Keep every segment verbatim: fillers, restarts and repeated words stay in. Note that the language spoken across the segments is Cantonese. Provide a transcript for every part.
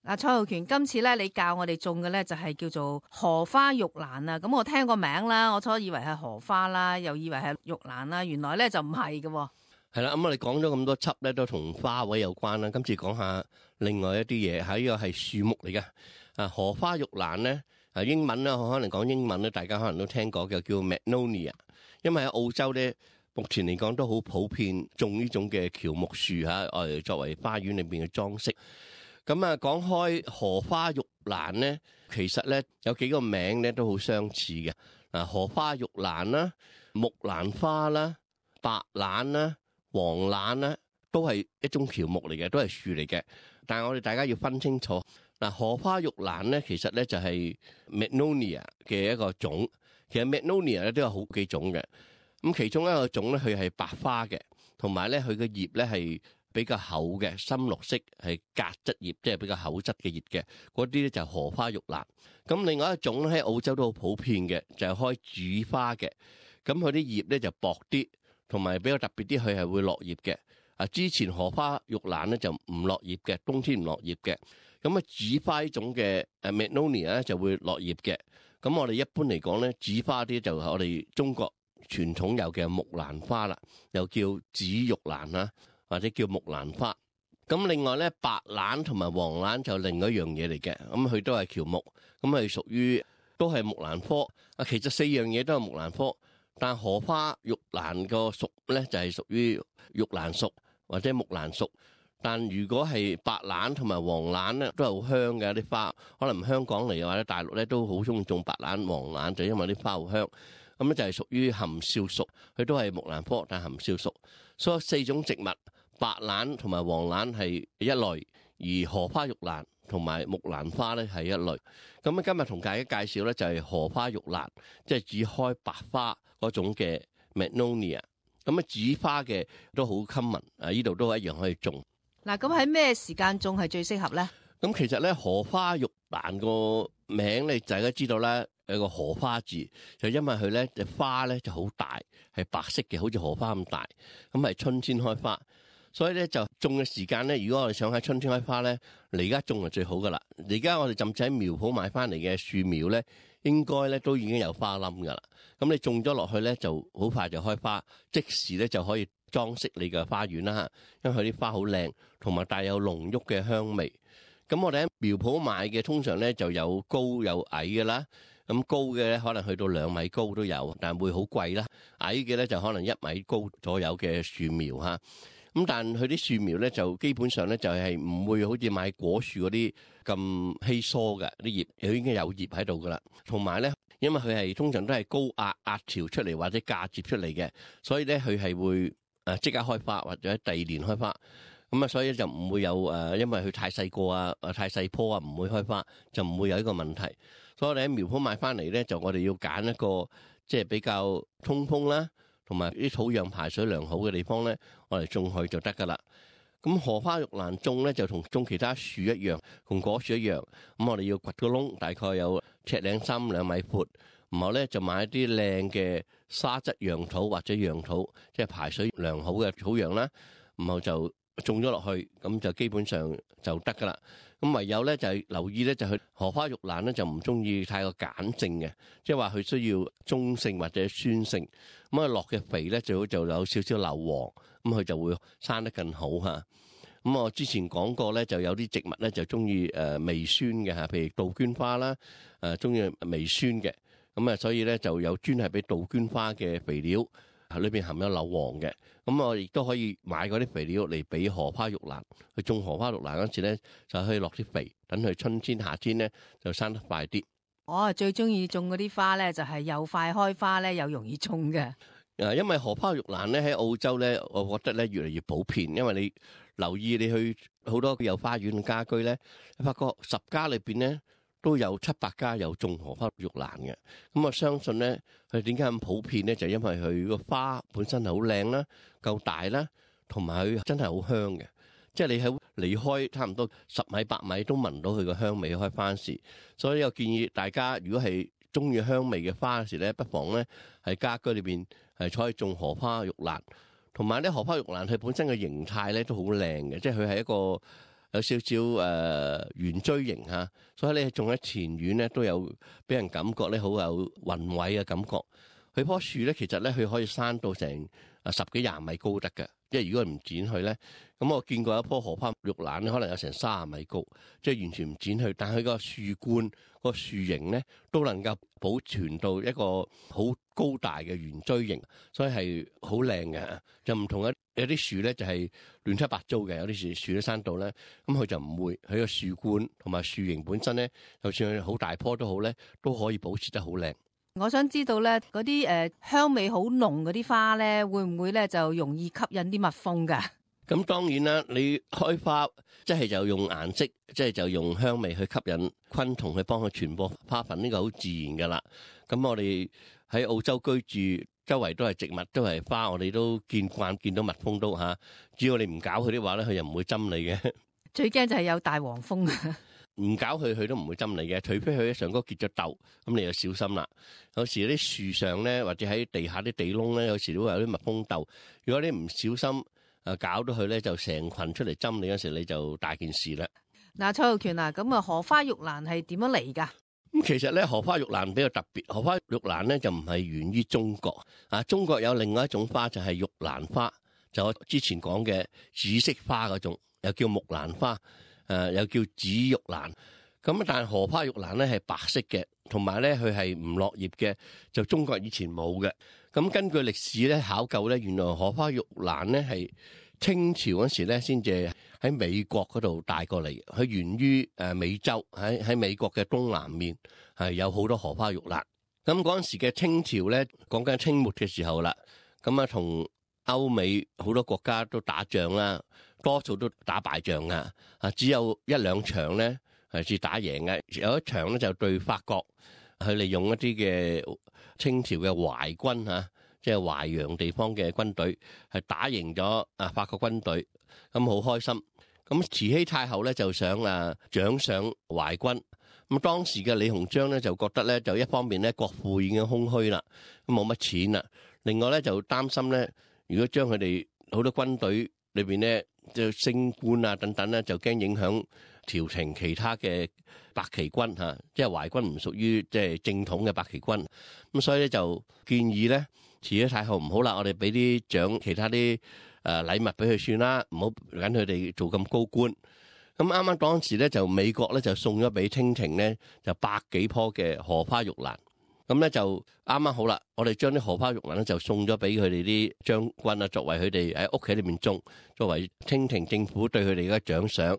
嗱，蔡浩權，今次咧你教我哋種嘅咧就係叫做荷花玉蘭啊。咁我聽個名啦，我初以為係荷花啦，又以為係玉蘭啦，原來咧就唔係嘅。係啦，咁我哋講咗咁多輯咧，都同花卉有關啦。今次講下另外一啲嘢，係呢個係樹木嚟嘅。啊，荷花玉蘭咧，啊英文咧，我可能講英文咧，大家可能都聽過嘅，叫 Magnolia。因為喺澳洲咧，目前嚟講都好普遍種呢種嘅喬木樹嚇，我哋作為花園裏邊嘅裝飾。咁啊，講開荷花玉蘭咧，其實咧有幾個名咧都好相似嘅。嗱，荷花玉蘭啦、木蘭花啦、白蘭啦、黃蘭啦，都係一種喬木嚟嘅，都係樹嚟嘅。但係我哋大家要分清楚，嗱，荷花玉蘭咧，其實咧就係 Magnolia 嘅一個種。其實 Magnolia 咧都有好幾種嘅。咁其中一個種咧，佢係白花嘅，同埋咧佢嘅葉咧係比較厚嘅，深綠色，係革質葉，即係比較厚質嘅葉嘅。嗰啲咧就係荷花玉蘭。咁另外一種喺澳洲都好普遍嘅，就係開主花嘅。咁佢啲葉咧就薄啲，同埋比較特別啲，佢係會落葉嘅。啊，之前荷花玉蘭咧就唔落葉嘅，冬天唔落葉嘅。咁啊，主花呢種嘅誒 Magnolia 咧就會落葉嘅。咁我哋一般嚟講咧，主花啲就係我哋中國傳統有嘅木蘭花啦，又叫紫玉蘭啦，或者叫木蘭花。咁另外咧，白蘭同埋黃蘭就另一樣嘢嚟嘅。咁佢都係喬木，咁係屬於都係木蘭科。啊，其實四樣嘢都係木蘭科，但荷花玉蘭個屬咧就係屬於玉蘭屬或者木蘭屬。但如果係白蘭同埋黃蘭咧，都係好香嘅啲花。可能香港嚟或者大陸咧都好中意種白蘭、黃蘭，就因為啲花好香。咁咧就係屬於含笑屬，佢都係木蘭科，但係含笑屬。所以四種植物，白蘭同埋黃蘭係一類，而荷花玉蘭同埋木蘭花咧係一類。咁啊，今日同大家介紹咧就係荷花玉蘭，即係只開白花嗰種嘅 Magnolia。咁啊，紫花嘅都好 common，啊呢度都一樣可以種。嗱，咁喺咩時間種係最適合咧？咁其實咧，荷花玉蘭個名咧，大家知道啦，有個荷花字，就因為佢咧隻花咧就好大，係白色嘅，好似荷花咁大，咁係春天開花，所以咧就種嘅時間咧，如果我哋想喺春天開花咧，嚟而家種係最好噶啦。而家我哋甚至喺苗圃買翻嚟嘅樹苗咧，應該咧都已經有花冧噶啦。咁你種咗落去咧，就好快就開花，即時咧就可以裝飾你嘅花園啦。因為佢啲花好靚，同埋帶有濃郁嘅香味。咁我哋喺苗圃買嘅通常咧就有高有矮嘅啦。咁高嘅咧可能去到兩米高都有，但會好貴啦。矮嘅咧就可能一米高左右嘅樹苗嚇。咁但佢啲樹苗咧就基本上咧就係唔會好似買果樹嗰啲咁稀疏嘅啲葉，佢已經有葉喺度噶啦。同埋咧，因為佢係通常都係高壓壓潮出嚟或者嫁接出嚟嘅，所以咧佢係會誒即刻開花或者第二年開花。咁啊，所以就唔會有誒，因為佢太細個啊，太細棵啊，唔會開花，就唔會有呢個問題。所以我哋喺苗圃買翻嚟咧，就我哋要揀一個即係比較通風啦，同埋啲土壤排水良好嘅地方咧，我哋種去就得噶啦。咁荷花玉蘭種咧就同種其他樹一樣，同果樹一樣。咁我哋要掘個窿，大概有尺零深兩米闊，然後咧就買一啲靚嘅沙質壤土或者壤土，即係排水良好嘅土壤啦，然後就種咗落去，咁就基本上就得噶啦。咁唯有咧就係留意咧，就係荷花玉蘭咧就唔中意太過鹼性嘅，即係話佢需要中性或者酸性。咁啊落嘅肥咧最好就有少少硫磺，咁佢就會生得更好嚇。咁我之前講過咧，就有啲植物咧就中意誒微酸嘅嚇，譬如杜鵑花啦，誒中意微酸嘅。咁啊，所以咧就有專係俾杜鵑花嘅肥料。裏邊含有硫磺嘅，咁我亦都可以買嗰啲肥料嚟俾荷花玉蘭。去種荷花玉蘭嗰時咧，就可以落啲肥，等佢春天、夏天咧就生得快啲。我最中意種嗰啲花咧，就係又快開花咧，又容易種嘅。誒，因為荷花玉蘭咧喺澳洲咧，我覺得咧越嚟越普遍。因為你留意你去好多有花園嘅家居咧，你發覺十家裏邊咧，都有七八家有種荷花玉蘭嘅。咁我相信咧，佢點解咁普遍咧？就因為佢個花本身係好靚啦，夠大啦，同埋佢真係好香嘅。即係你喺離開差唔多十米八米都聞到佢個香味開花時。所以我建議大家，如果係中意香味嘅花時咧，不妨咧喺家居裏邊係採種荷花玉蘭。同埋咧，荷花玉蘭佢本身嘅形態咧都好靚嘅，即係佢係一個有少少誒圓錐形嚇，所以咧種喺前院咧都有俾人感覺咧好有宏偉嘅感覺。佢棵樹咧其實咧佢可以生到成啊十幾廿米高得嘅，即係如果唔剪佢咧，咁我見過一棵荷花玉蘭咧，可能有成三十米高，即係完全唔剪佢，但係佢個樹冠、個樹形咧都能夠保存到一個好高大嘅圓錐形，所以係好靚嘅。就唔同一有啲樹咧就係亂七八糟嘅，有啲樹樹都生到咧，咁佢就唔會，佢個樹冠同埋樹形本身咧，就算佢好大棵都好咧，都可以保持得好靚。我想知道咧，嗰啲誒香味好濃嗰啲花咧，會唔會咧就容易吸引啲蜜蜂㗎？咁當然啦，你開花即係就用顏色，即係就用香味去吸引昆蟲去幫佢傳播花粉，呢個好自然噶啦。咁我哋喺澳洲居住，周圍都係植物，都係花，我哋都見慣見到蜜蜂都嚇。只要你唔搞佢啲話咧，佢又唔會針你嘅。最驚就係有大黃蜂。唔搞佢，佢都唔會針你嘅，除非佢喺上高結咗竇，咁你就小心啦。有時啲樹上咧，或者喺地下啲地窿咧，有時都會有啲蜜蜂竇。如果你唔小心，誒搞到佢咧，就成群出嚟針你嗰時，你就大件事啦。嗱，蔡浩權啊，咁啊荷花玉蘭係點樣嚟㗎？咁其實咧，荷花玉蘭比較特別。荷花玉蘭咧就唔係源於中國啊，中國有另外一種花就係玉蘭花，就我之前講嘅紫色花嗰種，又叫木蘭花。誒、呃、又叫紫玉蘭，咁但係荷花玉蘭咧係白色嘅，同埋咧佢係唔落葉嘅，就中國以前冇嘅。咁根據歷史咧考究咧，原來荷花玉蘭咧係清朝嗰時咧先至喺美國嗰度帶過嚟，佢源於誒美洲，喺喺美國嘅東南面係有好多荷花玉蘭。咁嗰陣時嘅清朝咧，講緊清末嘅時候啦，咁啊同歐美好多國家都打仗啦。多數都打敗仗啊！啊，只有一兩場咧係至打贏嘅。有一場咧就對法國，佢利用一啲嘅清朝嘅淮軍嚇，即係淮揚地方嘅軍隊，係打贏咗啊法國軍隊，咁好開心。咁慈禧太后咧就想啊獎賞淮軍。咁當時嘅李鴻章咧就覺得咧，就一方面咧國庫已經空虛啦，冇乜錢啦；另外咧就擔心咧，如果將佢哋好多軍隊裏邊咧，就升官啊等等咧，就驚影響朝廷其他嘅白旗軍嚇，即係淮軍唔屬於即係正統嘅白旗軍，咁所以咧就建議咧，慈禧太后唔好啦，我哋俾啲獎其他啲誒禮物俾佢算啦，唔好緊佢哋做咁高官。咁啱啱當時咧就美國咧就送咗俾清廷咧就百幾棵嘅荷花玉蘭。咁咧就啱啱好啦，我哋將啲荷花玉蘭咧就送咗俾佢哋啲將軍啊，作為佢哋喺屋企裏面種，作為清廷政府對佢哋嘅獎賞。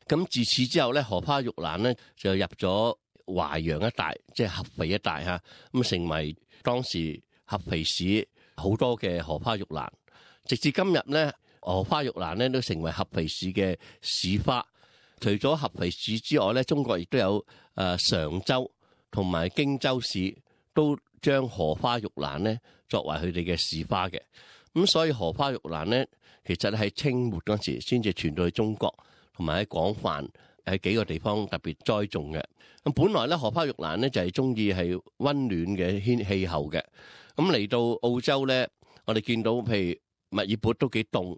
咁自此之後咧，荷花玉蘭咧就入咗淮陽一帶，即係合肥一帶嚇，咁成為當時合肥市好多嘅荷花玉蘭。直至今日咧，荷花玉蘭咧都成為合肥市嘅市花。除咗合肥市之外咧，中國亦都有誒常州同埋荊州市都將荷花玉蘭咧作為佢哋嘅市花嘅，咁所以荷花玉蘭咧其實喺清末嗰時先至傳到去中國，同埋喺廣泛喺幾個地方特別栽種嘅。咁本來咧荷花玉蘭咧就係中意係溫暖嘅天氣候嘅，咁嚟到澳洲咧，我哋見到譬如墨爾本都幾凍，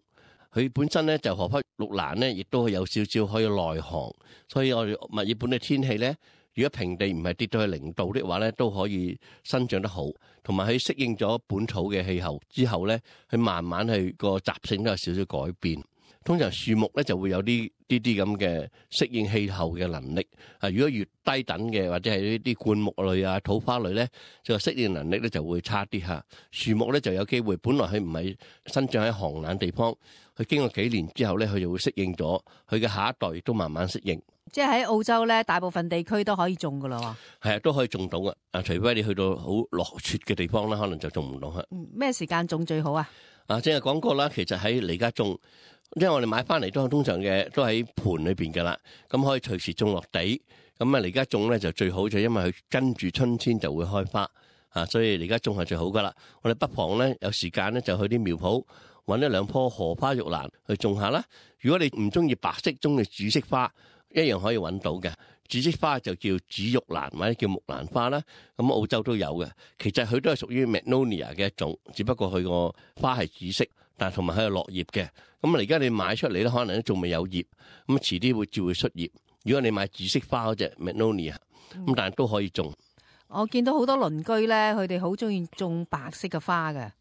佢本身咧就荷花玉蘭咧亦都有少少可以耐寒，所以我哋墨爾本嘅天氣咧。如果平地唔係跌到去零度的話咧，都可以生長得好，同埋佢適應咗本土嘅氣候之後咧，佢慢慢去個習性都有少少改變。通常樹木咧就會有啲啲啲咁嘅適應氣候嘅能力。啊，如果越低等嘅或者係呢啲灌木類啊、土花類咧，就適應能力咧就會差啲嚇。樹木咧就有機會，本來佢唔係生長喺寒冷地方，佢經過幾年之後咧，佢就會適應咗，佢嘅下一代亦都慢慢適應。即係喺澳洲咧，大部分地區都可以種噶啦。係啊，都可以種到嘅。啊，除非你去到好落雪嘅地方啦，可能就種唔到嚇。嗯，咩時間種最好啊？啊，正係講過啦，其實喺你家種，因為我哋買翻嚟都係通常嘅，都喺盤裏邊噶啦，咁可以隨時種落地。咁啊，你而家種咧就最好，就因為佢跟住春天就會開花啊，所以你而家種係最好噶啦。我哋不妨咧有時間咧就去啲苗圃揾一兩棵荷花玉蘭去種下啦。如果你唔中意白色，中意紫色花，一樣可以揾到嘅。紫色花就叫紫玉蘭或者叫木蘭花啦，咁澳洲都有嘅。其實佢都係屬於 Magnolia 嘅一種，只不過佢個花係紫色，但係同埋佢有落葉嘅。咁啊而家你買出嚟咧，可能都仲未有葉，咁遲啲會照會出葉。如果你買紫色花嗰隻 Magnolia，咁但係都可以種。我見到好多鄰居咧，佢哋好中意種白色嘅花嘅。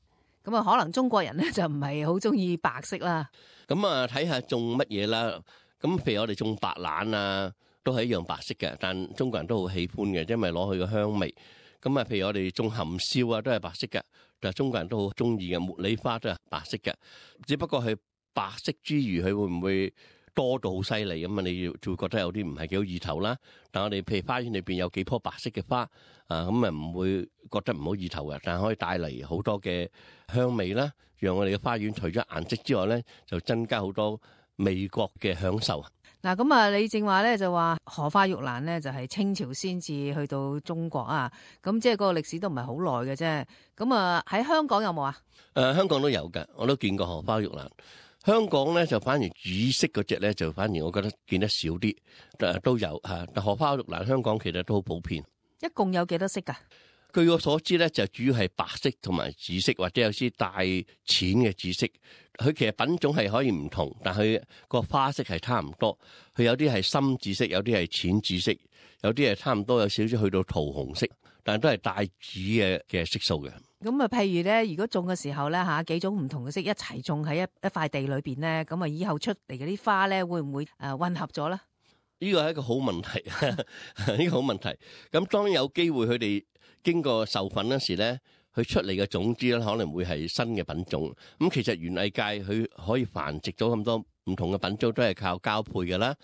咁啊，可能中國人咧就唔係好中意白色啦。咁啊，睇下種乜嘢啦。咁譬如我哋種白蘭啊，都係一樣白色嘅，但中國人都好喜歡嘅，因為攞佢個香味。咁啊，譬如我哋種含笑啊，都係白色嘅，但係中國人都好中意嘅。茉莉花都係白色嘅，只不過係白色之餘，佢會唔會多到好犀利咁啊？你要就會覺得有啲唔係幾好意頭啦。但我哋譬如花園裏邊有幾棵白色嘅花啊，咁啊唔會覺得唔好意頭嘅，但係可以帶嚟好多嘅香味啦，讓我哋嘅花園除咗顏色之外咧，就增加好多味覺嘅享受。嗱，咁啊，你正話咧就話荷花玉蘭咧就係清朝先至去到中國啊，咁即係嗰個歷史都唔係好耐嘅啫。咁啊喺香港有冇啊？誒、呃，香港都有嘅，我都見過荷花玉蘭。香港咧就反而紫色嗰隻咧就反而我覺得見得少啲，誒都有嚇。但荷花玉蘭香港其實都好普遍。一共有幾多色㗎？據我所知咧，就主要係白色同埋紫色，或者有啲帶淺嘅紫色。佢其實品種係可以唔同，但佢個花色係差唔多。佢有啲係深紫色，有啲係淺紫色，有啲係差唔多有少少去到桃紅色，但係都係帶紫嘅嘅色素嘅。咁啊，譬如咧，如果種嘅時候咧嚇幾種唔同嘅色一齊種喺一一塊地裏邊咧，咁啊以後出嚟嗰啲花咧會唔會誒混合咗咧？呢個係一個好問題，呢個好問題。咁當然有機會佢哋經過授粉嗰時咧，佢出嚟嘅種子咧可能會係新嘅品種。咁其實園藝界佢可以繁殖咗咁多唔同嘅品種，都係靠交配嘅啦。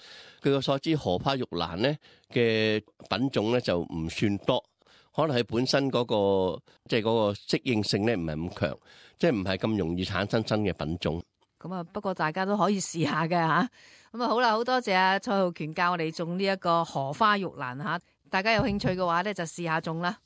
據我所知，荷花玉蘭咧嘅品種咧就唔算多。可能佢本身嗰個即係嗰個適應性咧唔係咁強，即係唔係咁容易產生新嘅品種。咁啊，不過大家都可以試下嘅嚇。咁啊好啦，好多謝阿蔡浩權教我哋種呢一個荷花玉蘭嚇。大家有興趣嘅話咧，就試下種啦。